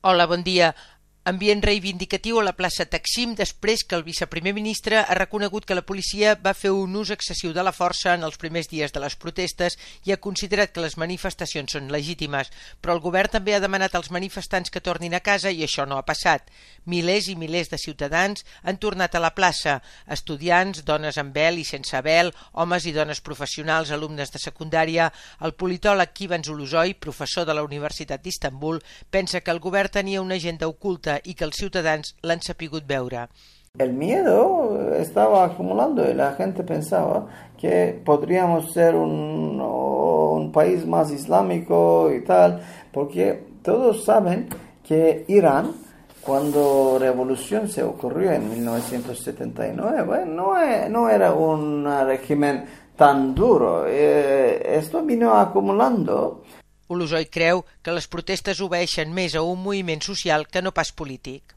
Hola, bon dia. Ambient reivindicatiu a la plaça Taksim després que el viceprimer ministre ha reconegut que la policia va fer un ús excessiu de la força en els primers dies de les protestes i ha considerat que les manifestacions són legítimes, però el govern també ha demanat als manifestants que tornin a casa i això no ha passat. Milers i milers de ciutadans han tornat a la plaça, estudiants, dones amb vel i sense vel, homes i dones professionals, alumnes de secundària. El politòleg Ivan Zuluzoi, professor de la Universitat d'Istanbul, pensa que el govern tenia una agenda oculta y que els ciutadans l'han sapigut veure. El miedo estaba acumulando y la gente pensaba que podríamos ser un país más islámico y tal, porque todos saben que Irán, cuando la revolución se ocurrió en 1979, no era un régimen tan duro. Esto vino acumulando. Ulusoy creu que les protestes obeeixen més a un moviment social que no pas polític.